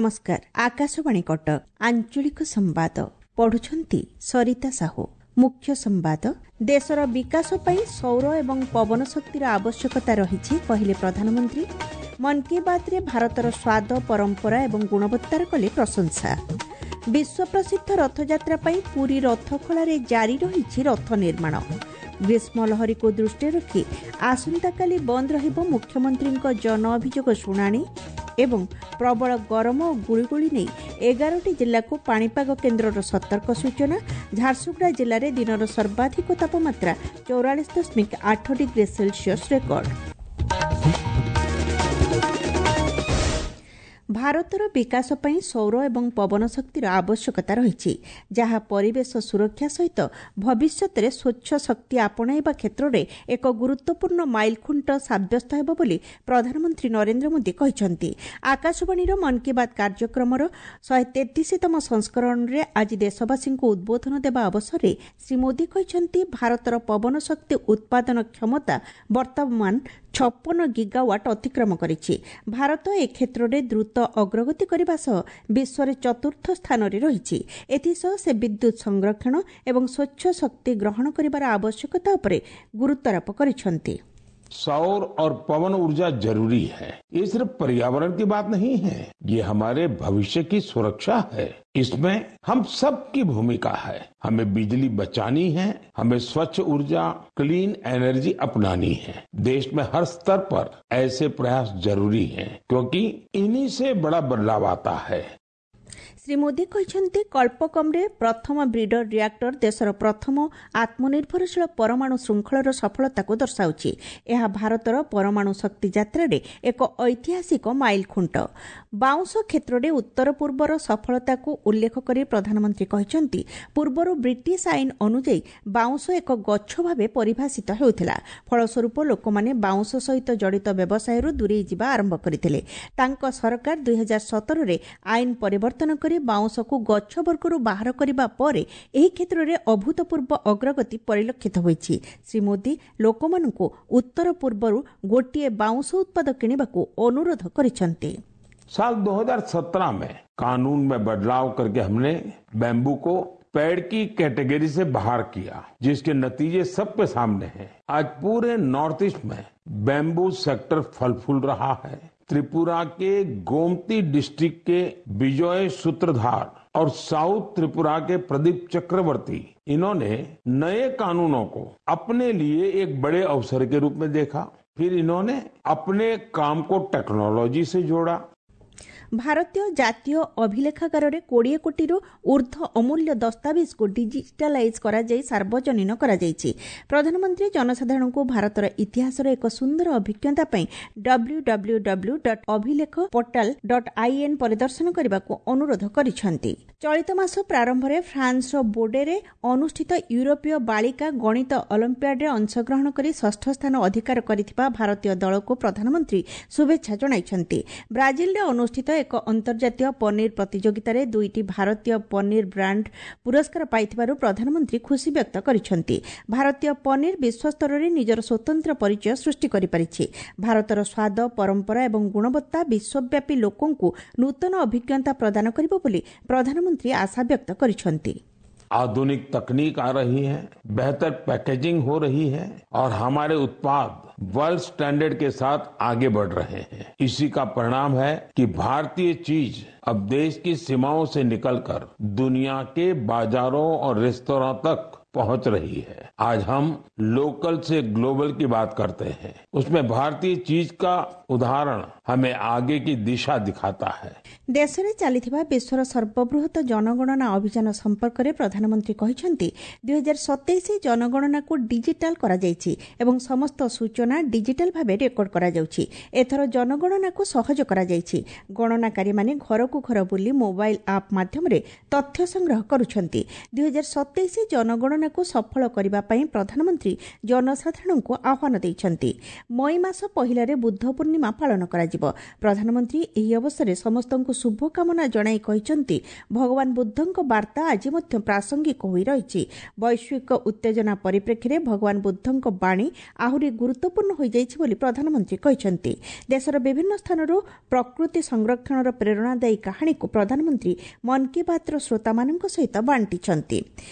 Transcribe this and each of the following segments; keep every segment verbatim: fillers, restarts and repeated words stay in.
ନମସ୍କାର, ଆକାଶବାଣୀ କଟକ, ଆଞ୍ଚଳିକ ସମ୍ବାଦ ପଢୁଛନ୍ତି ସରିତା ସାହୁ। ମୁଖ୍ୟ ସମ୍ବାଦ। ଦେଶର ବିକାଶ ପାଇଁ ସୌର ଏବଂ ପବନ ଶକ୍ତିର ଆବଶ୍ୟକତା ରହିଛି, କହିଲେ ପ୍ରଧାନମନ୍ତ୍ରୀ। ମନ୍ କି ବାତ୍ରେ ଭାରତର ସ୍ୱାଦ, ପରମ୍ପରା ଏବଂ ଗୁଣବତ୍ତାର କଲେ ପ୍ରଶଂସା। ବିଶ୍ୱପ୍ରସିଦ୍ଧ ରଥଯାତ୍ରା ପାଇଁ ପୁରୀ ରଥଖଳାରେ ଜାରି ରହିଛି ରଥ ନିର୍ମାଣ। ଗ୍ରୀଷ୍ମ ଲହରୀକୁ ଦୃଷ୍ଟିରେ ରଖି ଆସନ୍ତାକାଲି ବନ୍ଦ ରହିବ ମୁଖ୍ୟମନ୍ତ୍ରୀଙ୍କ ଜନ ଅଭିଯୋଗ ଶୁଣାଣି। ଏବଂ ପ୍ରବଳ ଗରମ ଓ ଗୁଳୁଗୁଳି ନେଇ ଏଗାରଟି ଜିଲ୍ଲାକୁ ପାଣିପାଗ କେନ୍ଦ୍ରର ସତର୍କ ସୂଚନା। ଝାରସୁଗୁଡ଼ା ଜିଲ୍ଲାରେ ଦିନର ସର୍ବାଧିକ ତାପମାତ୍ରା ଚଉରାଳିଶ ଦଶମିକ ଆଠ ଡିଗ୍ରୀ ସେଲସିୟସ୍ ରେକର୍ଡ। ଭାରତର ବିକାଶ ପାଇଁ ସୌର ଏବଂ ପବନ ଶକ୍ତିର ଆବଶ୍ୟକତା ରହିଛି, ଯାହା ପରିବେଶ ସୁରକ୍ଷା ସହିତ ଭବିଷ୍ୟତରେ ସ୍ୱଚ୍ଛ ଶକ୍ତି ଆପଣାଇବା କ୍ଷେତ୍ରରେ ଏକ ଗୁରୁତ୍ୱପୂର୍ଣ୍ଣ ମାଇଲଖୁଣ୍ଟ ସାବ୍ୟସ୍ତ ହେବ ବୋଲି ପ୍ରଧାନମନ୍ତ୍ରୀ ନରେନ୍ଦ୍ର ମୋଦି କହିଛନ୍ତି। ଆକାଶବାଣୀର ମନ୍ କି ବାତ୍ କାର୍ଯ୍ୟକ୍ରମର ଶହେ ତେତିଶତମ ସଂସ୍କରଣରେ ଆଜି ଦେଶବାସୀଙ୍କୁ ଉଦ୍ବୋଧନ ଦେବା ଅବସରରେ ଶ୍ରୀ ମୋଦି କହିଛନ୍ତି, ଭାରତର ପବନ ଶକ୍ତି ଉତ୍ପାଦନ କ୍ଷମତା ବର୍ତ୍ତମାନ ଛପନ ଗିଗାୱାଟ୍ ଅତିକ୍ରମ କରିଛି। ଭାରତ ଏ କ୍ଷେତ୍ରରେ ଦ୍ରୁତ ଅଗ୍ରଗତି କରିବା ସହ ବିଶ୍ୱରେ ଚତୁର୍ଥ ସ୍ଥାନରେ ରହିଛି। ଏଥିସହ ସେ ବିଦ୍ୟୁତ୍ ସଂରକ୍ଷଣ ଏବଂ ସ୍ୱଚ୍ଛ ଶକ୍ତି ଗ୍ରହଣ କରିବାର ଆବଶ୍ୟକତା ଉପରେ ଗୁରୁତ୍ୱାରୋପ କରିଛନ୍ତି। सौर और पवन ऊर्जा जरूरी है। ये सिर्फ पर्यावरण की बात नहीं है, ये हमारे भविष्य की सुरक्षा है। इसमें हम सब की भूमिका है। हमें बिजली बचानी है, हमें स्वच्छ ऊर्जा, क्लीन एनर्जी अपनानी है। देश में हर स्तर पर ऐसे प्रयास जरूरी हैं, क्योंकि इन्हीं से बड़ा बदलाव आता है। ଶ୍ରୀ ମୋଦି କହିଛନ୍ତି, କଳ୍ପକମ୍ରେ ପ୍ରଥମ ବ୍ରିଡର ରିଆକ୍ଟର ଦେଶର ପ୍ରଥମ ଆତ୍ମନିର୍ଭରଶୀଳ ପରମାଣୁ ଶୃଙ୍ଖଳର ସଫଳତାକୁ ଦର୍ଶାଉଛି। ଏହା ଭାରତର ପରମାଣୁ ଶକ୍ତି ଯାତ୍ରାରେ ଏକ ଐତିହାସିକ ମାଇଲଖୁଣ୍ଟ। ବାଉଁଶ କ୍ଷେତ୍ରରେ ଉତ୍ତର ପୂର୍ବର ସଫଳତାକୁ ଉଲ୍ଲେଖ କରି ପ୍ରଧାନମନ୍ତ୍ରୀ କହିଛନ୍ତି, ପୂର୍ବରୁ ବ୍ରିଟିଶ ଆଇନ ଅନୁଯାୟୀ ବାଉଁଶ ଏକ ଗଛ ଭାବେ ପରିଭାଷିତ ହେଉଥିଲା। ଫଳସ୍ୱରୂପ ଲୋକମାନେ ବାଉଁଶ ସହିତ ଜଡ଼ିତ ବ୍ୟବସାୟରୁ ଦୂରେଇ ଯିବା ଆରମ୍ଭ କରିଥିଲେ। ତାଙ୍କ ସରକାର ଦୁଇହଜାର ସତରରେ ଆଇନ ପରିବର୍ତ୍ତନ କରି ବାଉଁଶକୁ ଗଛ ବର୍ଗରୁ ବାହାର କରିବା ପରେ ଏହି କ୍ଷେତ୍ରରେ ଅଭୂତପୂର୍ବ ଅଗ୍ରଗତି ପରିଲକ୍ଷିତ ହୋଇଛି। ଶ୍ରୀ ମୋଦି ଲୋକମାନଙ୍କୁ ଉତ୍ତର ପୂର୍ବରୁ ଗୋଟିଏ ବାଉଁଶ ଉତ୍ପାଦ କିଣିବାକୁ ଅନୁରୋଧ କରିଛନ୍ତି। साल दो हजार सत्रह में कानून में बदलाव करके हमने बैम्बू को पेड़ की कैटेगरी से बाहर किया, जिसके नतीजे सबके सामने हैं। आज पूरे नॉर्थ ईस्ट में बैम्बू सेक्टर फल फूल रहा है। त्रिपुरा के गोमती डिस्ट्रिक्ट के विजय सूत्रधार और साउथ त्रिपुरा के प्रदीप चक्रवर्ती, इन्होंने नए कानूनों को अपने लिए एक बड़े अवसर के रूप में देखा। फिर इन्होंने अपने काम को टेक्नोलॉजी से जोड़ा। ଭାରତୀୟ ଜାତୀୟ ଅଭିଲେଖାଗାରରେ କୋଡ଼ିଏ କୋଟିରୁ ଊର୍ଦ୍ଧ୍ୱ ଅମୂଲ୍ୟ ଦସ୍ତାବିଜକୁ ଡିଜିଟାଲାଇଜ୍ କରାଯାଇ ସାର୍ବଜନୀନ କରାଯାଇଛି। ପ୍ରଧାନମନ୍ତ୍ରୀ ଜନସାଧାରଣଙ୍କୁ ଭାରତର ଇତିହାସର ଏକ ସୁନ୍ଦର ଅଭିଜ୍ଞତା ପାଇଁ W W W dot Abhilekh portal dot I N ପରିଦର୍ଶନ କରିବାକୁ ଅନୁରୋଧ କରିଛନ୍ତି। ଚଳିତ ମାସ ପ୍ରାରମ୍ଭରେ ଫ୍ରାନ୍ସର ବୋର୍ଡେରେ ଅନୁଷ୍ଠିତ ୟୁରୋପୀୟ ବାଳିକା ଗଣିତ ଅଲିମ୍ପିଆଡରେ ଅଂଶଗ୍ରହଣ କରି ଷଷ୍ଠ ସ୍ଥାନ ଅଧିକାର କରିଥିବା ଭାରତୀୟ ଦଳକୁ ପ୍ରଧାନମନ୍ତ୍ରୀ ଶୁଭେଚ୍ଛା ଜଣାଇଛନ୍ତି। ବ୍ରାଜିଲରେ ଅନୁଷ୍ଠିତ ଏକ ଅନ୍ତର୍ଜାତୀୟ ପନିର ପ୍ରତିଯୋଗିତାରେ ଦୁଇଟି ଭାରତୀୟ ପନିର ବ୍ରାଣ୍ଡ ପୁରସ୍କାର ପାଇଥିବାରୁ ପ୍ରଧାନମନ୍ତ୍ରୀ ଖୁସି ବ୍ୟକ୍ତ କରିଛନ୍ତି। ଭାରତୀୟ ପନିର ବିଶ୍ୱସ୍ତରରେ ନିଜର ସ୍ୱତନ୍ତ୍ର ପରିଚୟ ସୃଷ୍ଟି କରିପାରିଛି। ଭାରତର ସ୍ୱାଦ, ପରମ୍ପରା ଏବଂ ଗୁଣବତ୍ତା ବିଶ୍ୱବ୍ୟାପୀ ଲୋକଙ୍କୁ ନୂତନ ଅଭିଜ୍ଞତା ପ୍ରଦାନ କରିବ ବୋଲି ପ୍ରଧାନମନ୍ତ୍ରୀ ଆଶା ବ୍ୟକ୍ତ କରିଛନ୍ତି। आधुनिक तकनीक आ रही है, बेहतर पैकेजिंग हो रही है और हमारे उत्पाद वर्ल्ड स्टैंडर्ड के साथ आगे बढ़ रहे हैं। इसी का परिणाम है कि भारतीय चीज अब देश की सीमाओं से निकलकर दुनिया के बाजारों और रेस्तरां तक पहुंच रही है। आज हम लोकल से ग्लोबल की बात करते हैं, उसमें भारतीय चीज का उदाहरण हमें आगे की दिशा दिखाता है। ଦେଶରେ ଚାଲିଥିବା ବିଶ୍ୱର ସର୍ବବୃହତ ଜନଗଣନା ଅଭିଯାନ ସମ୍ପର୍କରେ ପ୍ରଧାନମନ୍ତ୍ରୀ କହିଛନ୍ତି, ଦୁଇହଜାର ସତେଇଶ ଜନଗଣନାକୁ ଡିଜିଟାଲ କରାଯାଇଛି ଏବଂ ସମସ୍ତ ସୂଚନା ଡିଜିଟାଲ ଭାବେ ରେକର୍ଡ କରାଯାଉଛି। ଏଥର ଜନଗଣନାକୁ ସହଜ କରାଯାଇଛି। ଗଣନାକାରୀମାନେ ଘରକୁ ଘର ବୁଲି ମୋବାଇଲ ଆପ୍ ମାଧ୍ୟମରେ ତଥ୍ୟ ସଂଗ୍ରହ କରୁଛନ୍ତି। ଦୁଇହଜାର ସତେଇଶ ଜନଗଣନା ଜନଗଣନାକୁ ସଫଳ କରିବା ପାଇଁ ପ୍ରଧାନମନ୍ତ୍ରୀ ଜନସାଧାରଣଙ୍କୁ ଆହ୍ୱାନ ଦେଇଛନ୍ତି। ମଇ ମାସ ପହିଲାରେ ବୁଦ୍ଧ ପୂର୍ଣ୍ଣିମା ପାଳନ କରାଯିବ। ପ୍ରଧାନମନ୍ତ୍ରୀ ଏହି ଅବସରରେ ସମସ୍ତଙ୍କୁ ଶୁଭକାମନା ଜଣାଇ କହିଛନ୍ତି, ଭଗବାନ ବୁଦ୍ଧଙ୍କ ବାର୍ତ୍ତା ଆଜି ମଧ୍ୟ ପ୍ରାସଙ୍ଗିକ ହୋଇ ରହିଛି। ବୈଶ୍ୱିକ ଉତ୍ତେଜନା ପରିପ୍ରେକ୍ଷୀରେ ଭଗବାନ ବୁଦ୍ଧଙ୍କ ବାଣୀ ଆହୁରି ଗୁରୁତ୍ୱପୂର୍ଣ୍ଣ ହୋଇଯାଇଛି ବୋଲି ପ୍ରଧାନମନ୍ତ୍ରୀ କହିଛନ୍ତି। ଦେଶର ବିଭିନ୍ନ ସ୍ଥାନରୁ ପ୍ରକୃତି ସଂରକ୍ଷଣର ପ୍ରେରଣାଦାୟୀ କାହାଣୀକୁ ପ୍ରଧାନମନ୍ତ୍ରୀ ମନ୍ କି ବାତ୍ର ଶ୍ରୋତାମାନଙ୍କ ସହିତ ବାଣ୍ଟିଛନ୍ତି।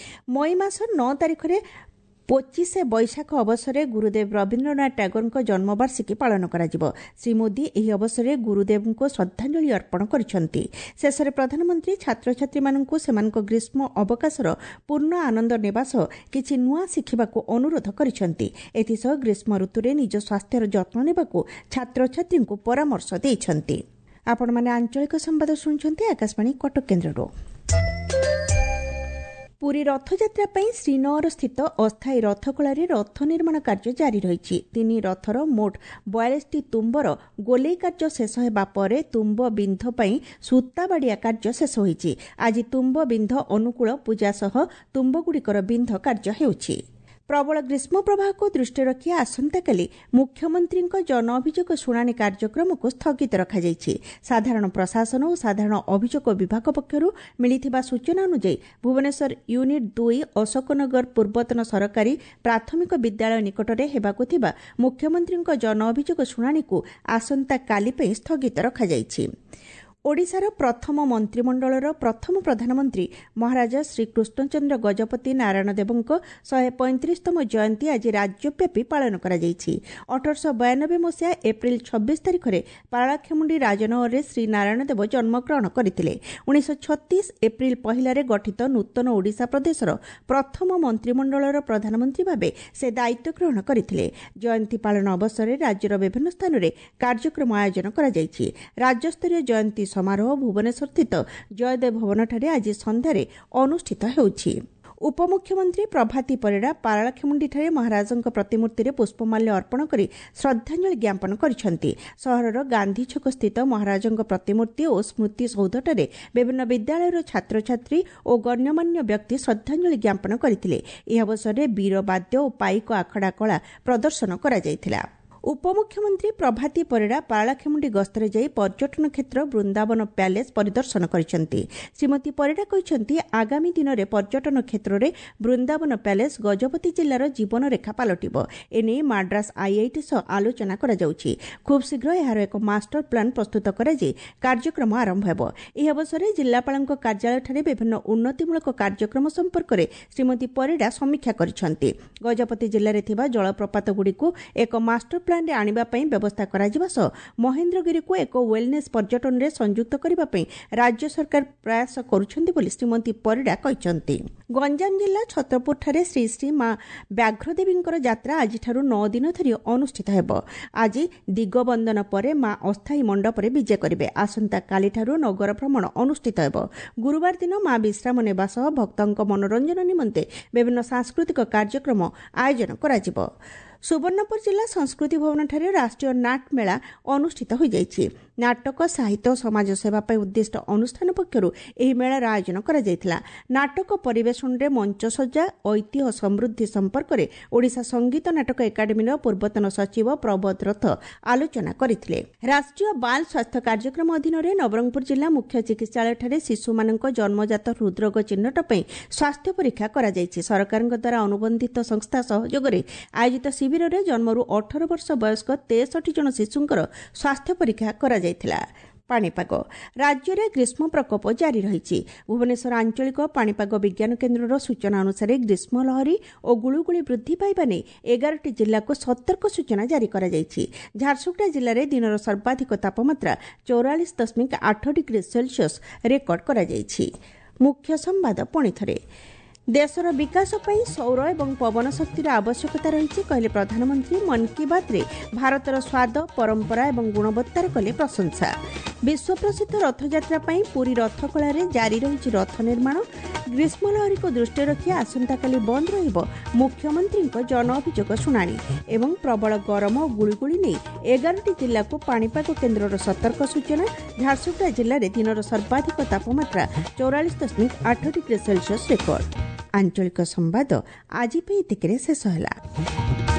ମଇ ମାସ ନଅ ତାରିଖରେ ପଚିଶେ ବୈଶାଖ ଅବସରରେ ଗୁରୁଦେବ ରବୀନ୍ଦ୍ରନାଥ ଟାଗୋରଙ୍କ ଜନ୍ମବାର୍ଷିକୀ ପାଳନ କରାଯିବ। ଶ୍ରୀ ମୋଦି ଏହି ଅବସରରେ ଗୁରୁଦେବଙ୍କୁ ଶ୍ରଦ୍ଧାଞ୍ଜଳି ଅର୍ପଣ କରିଛନ୍ତି। ଶେଷରେ ପ୍ରଧାନମନ୍ତ୍ରୀ ଛାତ୍ରଛାତ୍ରୀମାନଙ୍କୁ ସେମାନଙ୍କ ଗ୍ରୀଷ୍ମ ଅବକାଶର ପୂର୍ଣ୍ଣ ଆନନ୍ଦ ନେବା ସହ କିଛି ନୂଆ ଶିଖିବାକୁ ଅନୁରୋଧ କରିଛନ୍ତି। ଏଥିସହ ଗ୍ରୀଷ୍ମ ଋତୁରେ ନିଜ ସ୍ୱାସ୍ଥ୍ୟର ଯତ୍ନ ନେବାକୁ ଛାତ୍ରଛାତ୍ରୀଙ୍କୁ ପରାମର୍ଶ ଦେଇଛନ୍ତି। ଆପଣମାନେ ଆଞ୍ଚଳିକ ସମ୍ବାଦ ଶୁଣୁଛନ୍ତି ଆକାଶବାଣୀ କଟକ କେନ୍ଦ୍ରରୁ। ପୁରୀ ରଥଯାତ୍ରା ପାଇଁ ଶ୍ରୀନଅରସ୍ଥିତ ଅସ୍ଥାୟୀ ରଥଖଳାରେ ରଥ ନିର୍ମାଣ କାର୍ଯ୍ୟ ଜାରି ରହିଛି। ତିନି ରଥର ମୋଟ ବୟାଳିଶଟି ତୁମ୍ବର ଗୋଲେଇ କାର୍ଯ୍ୟ ଶେଷ ହେବା ପରେ ତୁମ୍ବ ବିନ୍ଧ ପାଇଁ ସୂତାବାଡ଼ିଆ କାର୍ଯ୍ୟ ଶେଷ ହୋଇଛି। ଆଜି ତୁମ୍ବ ବିନ୍ଧ ଅନୁକୂଳ ପୂଜା ସହ ତୁମ୍ବଗୁଡ଼ିକର ବିନ୍ଧ କାର୍ଯ୍ୟ ହେଉଛି। ପ୍ରବଳ ଗ୍ରୀଷ୍ମ ପ୍ରବାହକୁ ଦୃଷ୍ଟିରେ ରଖି ଆସନ୍ତାକାଲି ମୁଖ୍ୟମନ୍ତ୍ରୀଙ୍କ ଜନ ଅଭିଯୋଗ ଶୁଣାଣି କାର୍ଯ୍ୟକ୍ରମକୁ ସ୍ଥଗିତ ରଖାଯାଇଛି। ସାଧାରଣ ପ୍ରଶାସନ ଓ ସାଧାରଣ ଅଭିଯୋଗ ବିଭାଗ ପକ୍ଷରୁ ମିଳିଥିବା ସୂଚନା ଅନୁଯାୟୀ ଭୁବନେଶ୍ୱର ୟୁନିଟ୍ ଦୁଇ ଅଶୋକନଗର ପୂର୍ବତନ ସରକାରୀ ପ୍ରାଥମିକ ବିଦ୍ୟାଳୟ ନିକଟରେ ହେବାକୁ ଥିବା ମୁଖ୍ୟମନ୍ତ୍ରୀଙ୍କ ଜନ ଅଭିଯୋଗ ଶୁଣାଣିକୁ ଆସନ୍ତାକାଲି ପାଇଁ ସ୍ଥଗିତ ରଖାଯାଇଛି। ଓଡ଼ିଶାର ପ୍ରଥମ ମନ୍ତ୍ରିମଣ୍ଡଳର ପ୍ରଥମ ପ୍ରଧାନମନ୍ତ୍ରୀ ମହାରାଜା ଶ୍ରୀକୃଷ୍ଣଚନ୍ଦ୍ର ଗଜପତି ନାରାୟଣ ଦେବଙ୍କ ଶହେ ପଇଁତିରିଶତମ ଜୟନ୍ତୀ ଆଜି ରାଜ୍ୟବ୍ୟାପୀ ପାଳନ କରାଯାଇଛି। ଅଠରଶହ ବୟାନବେ ମସିହା ଏପ୍ରିଲ ଛବିଶ ତାରିଖରେ ପାରଳାଖେମୁଣ୍ଡି ରାଜନଗରରେ ଶ୍ରୀ ନାରାୟଣ ଦେବ ଜନ୍ମଗ୍ରହଣ କରିଥିଲେ। ଉଣେଇଶହ ଛତିଶ ଏପ୍ରିଲ ପହିଲାରେ ଗଠିତ ନୂତନ ଓଡ଼ିଶା ପ୍ରଦେଶର ପ୍ରଥମ ମନ୍ତ୍ରିମଣ୍ଡଳର ପ୍ରଧାନମନ୍ତ୍ରୀ ଭାବେ ସେ ଦାୟିତ୍ୱ ଗ୍ରହଣ କରିଥିଲେ। ଜୟନ୍ତୀ ପାଳନ ଅବସରରେ ରାଜ୍ୟର ବିଭିନ୍ନ ସ୍ଥାନରେ କାର୍ଯ୍ୟକ୍ରମ ଆୟୋଜନ କରାଯାଇଛି। ରାଜ୍ୟସ୍ତରୀୟ ଜୟନ୍ତୀ ସମାରୋହ ଭୁବନେଶ୍ୱରସ୍ଥିତ ଜୟଦେବ ଭବନଠାରେ ଆଜି ସନ୍ଧ୍ୟାରେ ଅନୁଷ୍ଠିତ ହେଉଛି। ଉପମୁଖ୍ୟମନ୍ତ୍ରୀ ପ୍ରଭାତୀ ପରିଡ଼ା ପାରଳାଖେମୁଣ୍ଡିଠାରେ ମହାରାଜଙ୍କ ପ୍ରତିମୂର୍ତ୍ତିରେ ପୁଷ୍ପମାଲ୍ୟ ଅର୍ପଣ କରି ଶ୍ରଦ୍ଧାଞ୍ଜଳି ଜ୍ଞାପନ କରିଛନ୍ତି। ସହରର ଗାନ୍ଧୀଛକସ୍ଥିତ ମହାରାଜଙ୍କ ପ୍ରତିମୂର୍ତ୍ତି ଓ ସ୍ମୃତି ସୌଧଠାରେ ବିଭିନ୍ନ ବିଦ୍ୟାଳୟର ଛାତ୍ରଛାତ୍ରୀ ଓ ଗଣ୍ୟମାନ୍ୟ ବ୍ୟକ୍ତି ଶ୍ରଦ୍ଧାଞ୍ଜଳି ଜ୍ଞାପନ କରିଥିଲେ। ଏହି ଅବସରରେ ବୀରବାଦ୍ୟ ଓ ପାଇକ ଆଖଡ଼ା କଳା ପ୍ରଦର୍ଶନ କରାଯାଇଥିଲା। ଉପମୁଖ୍ୟମନ୍ତ୍ରୀ ପ୍ରଭାତୀ ପରିଡ଼ା ପାରଳାଖେମୁଣ୍ଡି ଗସ୍ତରେ ଯାଇ ପର୍ଯ୍ୟଟନ କ୍ଷେତ୍ର ବୃନ୍ଦାବନ ପ୍ୟାଲେସ୍ ପରିଦର୍ଶନ କରିଛନ୍ତି। ଶ୍ରୀମତୀ ପରିଡ଼ା କହିଛନ୍ତି, ଆଗାମୀ ଦିନରେ ପର୍ଯ୍ୟଟନ କ୍ଷେତ୍ରରେ ବୃନ୍ଦାବନ ପ୍ୟାଲେସ୍ ଗଜପତି ଜିଲ୍ଲାର ଜୀବନରେଖା ପାଲଟିବ। ଏନେଇ ମାଡ୍ରାସ ଆଇଆଇଟି ସହ ଆଲୋଚନା କରାଯାଉଛି। ଖୁବ୍ ଶୀଘ୍ର ଏହାର ଏକ ମାଷ୍ଟର ପ୍ଲାନ୍ ପ୍ରସ୍ତୁତ କରାଯାଇ କାର୍ଯ୍ୟକ୍ରମ ଆରମ୍ଭ ହେବ। ଏହି ଅବସରରେ ଜିଲ୍ଲାପାଳଙ୍କ କାର୍ଯ୍ୟାଳୟଠାରେ ବିଭିନ୍ନ ଉନ୍ନତିମୂଳକ କାର୍ଯ୍ୟକ୍ରମ ସମ୍ପର୍କରେ ଶ୍ରୀମତୀ ପରିଡ଼ା ସମୀକ୍ଷା କରିଛନ୍ତି। ଗଜପତି ଜିଲ୍ଲାରେ ଥିବା ଜଳପ୍ରପାତଗୁଡ଼ିକୁ ଏକ ମାଷ୍ଟର ପ୍ଲାନ୍ରେ ଆଣିବା ପାଇଁ ବ୍ୟବସ୍ଥା କରାଯିବା ସହ ମହେନ୍ଦ୍ରଗିରିକୁ ଏକ ୱେଲନେସ୍ ପର୍ଯ୍ୟଟନରେ ସଂଯୁକ୍ତ କରିବା ପାଇଁ ରାଜ୍ୟ ସରକାର ପ୍ରୟାସ କରୁଛନ୍ତି ବୋଲି ଶ୍ରୀମତୀ ପରିଡ଼ା କହିଛନ୍ତି। ଗଞ୍ଜାମ ଜିଲ୍ଲା ଛତ୍ରପୁରଠାରେ ଶ୍ରୀ ଶ୍ରୀ ମା ବ୍ୟାଘ୍ରଦେବୀଙ୍କର ଯାତ୍ରା ଆଜିଠାରୁ ନଅ ଦିନ ଧରି ଅନୁଷ୍ଠିତ ହେବ। ଆଜି ଦିଗବନ୍ଦନ ପରେ ମା ଅସ୍ଥାୟୀ ମଣ୍ଡପରେ ବିଜେ କରିବେ। ଆସନ୍ତାକାଲିଠାରୁ ନଗର ଭ୍ରମଣ ଅନୁଷ୍ଠିତ ହେବ। ଗୁରୁବାର ଦିନ ମା ବିଶ୍ରାମ ନେବା ସହ ଭକ୍ତଙ୍କ ମନୋରଞ୍ଜନ ନିମନ୍ତେ ବିଭିନ୍ନ ସାଂସ୍କୃତିକ କାର୍ଯ୍ୟକ୍ରମ ଆୟୋଜନ କରାଯିବ। ସୁବର୍ଣ୍ଣପୁର ଜିଲ୍ଲା ସଂସ୍କୃତି ଭବନଠାରେ ରାଷ୍ଟ୍ରୀୟ ନାଟ ମେଳା ଅନୁଷ୍ଠିତ ହୋଇଯାଇଛି। ନାଟକ, ସାହିତ୍ୟ ଓ ସମାଜସେବା ପାଇଁ ଉଦ୍ଦିଷ୍ଟ ଅନୁଷ୍ଠାନ ପକ୍ଷରୁ ଏହି ମେଳାର ଆୟୋଜନ କରାଯାଇଥିଲା। ନାଟକ ପରିବେଷଣରେ ମଞ୍ଚସଜ୍ଜା, ଐତିହ୍ୟ ସମୃଦ୍ଧି ସମ୍ପର୍କରେ ଓଡ଼ିଶା ସଙ୍ଗୀତ ନାଟକ ଏକାଡେମୀର ପୂର୍ବତନ ସଚିବ ପ୍ରବୋଧ ରଥ ଆଲୋଚନା କରିଥିଲେ। ରାଷ୍ଟ୍ରୀୟ ବାଲ୍ ସ୍ୱାସ୍ଥ୍ୟ କାର୍ଯ୍ୟକ୍ରମ ଅଧୀନରେ ନବରଙ୍ଗପୁର ଜିଲ୍ଲା ମୁଖ୍ୟ ଚିକିତ୍ସାଳୟଠାରେ ଶିଶୁମାନଙ୍କ ଜନ୍ମଜାତ ହୃଦ୍ରୋଗ ଚିହ୍ନଟ ପାଇଁ ସ୍ୱାସ୍ଥ୍ୟ ପରୀକ୍ଷା କରାଯାଇଛି। ସରକାରଙ୍କ ଦ୍ୱାରା ଅନୁବନ୍ଧିତ ସଂସ୍ଥା ସହଯୋଗରେ ଆୟୋଜିତ ଶିବିରରେ ଜନ୍ମରୁ ଅଠର ବର୍ଷ ବୟସ୍କ ତେଷଠି ଜଣ ଶିଶୁଙ୍କର ସ୍ୱାସ୍ଥ୍ୟ ପରୀକ୍ଷା କରାଯାଇଥିଲା। ପାଣିପାଗ, ରାଜ୍ୟରେ ଗ୍ରୀଷ୍ମ ପ୍ରକୋପ ଜାରି ରହିଛି। ଭୁବନେଶ୍ୱର ଆଞ୍ଚଳିକ ପାଣିପାଗ ବିଜ୍ଞାନ କେନ୍ଦ୍ରର ସୂଚନା ଅନୁସାରେ ଗ୍ରୀଷ୍ମ ଲହରୀ ଓ ଗୁଳୁଗୁଳି ବୃଦ୍ଧି ପାଇବା ନେଇ ଏଗାରଟି ଜିଲ୍ଲାକୁ ସତର୍କ ସୂଚନା ଜାରି କରାଯାଇଛି। ଝାରସୁଗୁଡ଼ା ଜିଲ୍ଲାରେ ଦିନର ସର୍ବାଧିକ ତାପମାତ୍ରା ଚଉରାଳିଶ ଦଶମିକ ଆଠ ଡିଗ୍ରୀ ସେଲସିୟସ୍ ରେକର୍ଡ କରାଯାଇଛି। ମୁଖ୍ୟ ସମ୍ବାଦ ପୁଣିଥରେ, ଦେଶର ବିକାଶ ପାଇଁ ସୌର ଏବଂ ପବନ ଶକ୍ତିର ଆବଶ୍ୟକତା ରହିଛି କହିଲେ ପ୍ରଧାନମନ୍ତ୍ରୀ। ମନ୍ କି ବାତ୍ରେ ଭାରତର ସ୍ୱାଦ, ପରମ୍ପରା ଏବଂ ଗୁଣବତ୍ତାର କଲେ ପ୍ରଶଂସା। ବିଶ୍ୱପ୍ରସିଦ୍ଧ ରଥଯାତ୍ରା ପାଇଁ ପୁରୀ ରଥଖଳାରେ ଜାରି ରହିଛି ରଥ ନିର୍ମାଣ। ଗ୍ରୀଷ୍ମ ଲହରୀକୁ ଦୃଷ୍ଟିରେ ରଖି ଆସନ୍ତାକାଲି ବନ୍ଦ ରହିବ ମୁଖ୍ୟମନ୍ତ୍ରୀଙ୍କ ଜନ ଅଭିଯୋଗ ଶୁଣାଣି। ଏବଂ ପ୍ରବଳ ଗରମ ଓ ଗୁଳୁଗୁଳି ନେଇ ଏଗାରଟି ଜିଲ୍ଲାକୁ ପାଣିପାଗ କେନ୍ଦ୍ରର ସତର୍କ ସୂଚନା। ଝାରସୁଗୁଡ଼ା ଜିଲ୍ଲାରେ ଦିନର ସର୍ବାଧିକ ତାପମାତ୍ରା ଚଉରାଳିଶ ଦଶମିକ ଆଠ ଡିଗ୍ରୀ ସେଲସିୟସ୍ ରେକର୍ଡ। ଆଞ୍ଚଳିକ ସମ୍ବାଦ ଆଜି ପାଇଁ ଏତିକିରେ ଶେଷ ହେଲା।